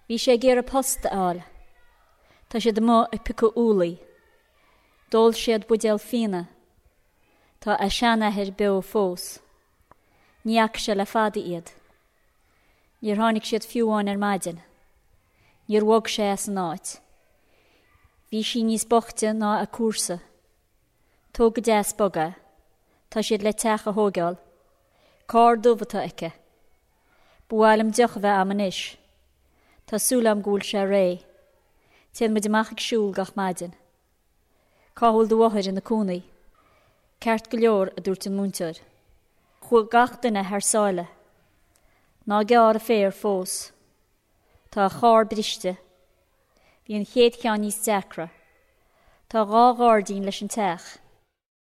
Bhí sé ag iarraidh post a fháil. Tá siad amuigh ag piocadh úllaí. D'ól siad buidéal fíona. Tá a seanathair beo fós. Ní fhaca sé le fada iad. Níor tháinig siad fiú amháin ar maidin. Níor bhog sé as an áit. Bhí sí níos boichte ná a comharsa. Tóg go deas bog é. Tá siad le teach a thóigeáil. Carr dubh atá aici. Ba mhaith liom deoch a bheith a'm anois. Tá súil a'm go bhfuil sé réidh. Téann muid amach ag siúl gach maidin. Cá bhfuil do mháthair ina cónaí? Ceart go leor, a dúirt an múinteoir. Chuaigh gach duine thar sáile. Ná gearr an féar fós. Tá a charr briste. Bhí an chéad cheann níos deacra. Tá dhá ghairdín leis an teach.